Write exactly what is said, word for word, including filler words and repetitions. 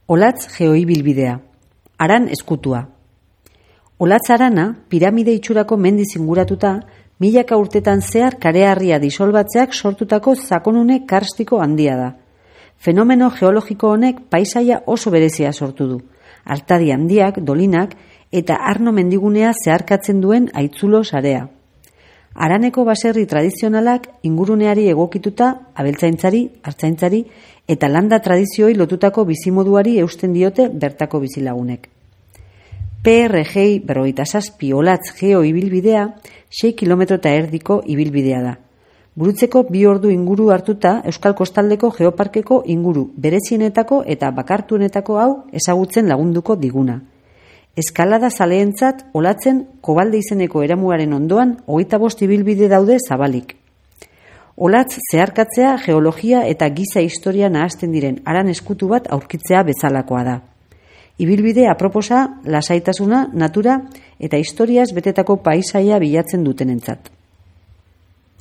Olatz geoibilbidea. Aran eskutua. Olatz arana, piramide itxurako mendiz inguratuta, milaka urtetan zehar kareharria disolbatzeak sortutako sakonune karstiko handia da. Fenomeno geologiko honek paisaia oso berezia sortu du. Artadi handiak, dolinak eta arno mendigunea zeharkatzen duen aitzulo sarea. Araneko baserri tradizionalak inguruneari egokituta abeltzaintzari, artzaintzari eta landa tradizioi lotutako bizimoduari eusten diote bertako bizilagunek. P R G berrogeita zazpi Olatz geo ibilbidea sei kilometro eta erdiko ibilbidea da. Burutzeko bi ordu inguru hartuta Euskal Kostaldeko Geoparkeko inguru berezienetako eta bakartuenetako hau ezagutzen lagunduko diguna. Eskalada zaleentzat Olatzen Kobalde izeneko eramuaren ondoan hogeita bost ibilbide daude zabalik. Olatz zeharkatzea geologia eta giza historia nahasten diren aran eskutu bat aurkitzea bezalakoa da. Ibilbide aproposa, lasaitasuna, natura eta historiaz betetako paisaia bilatzen dutenentzat.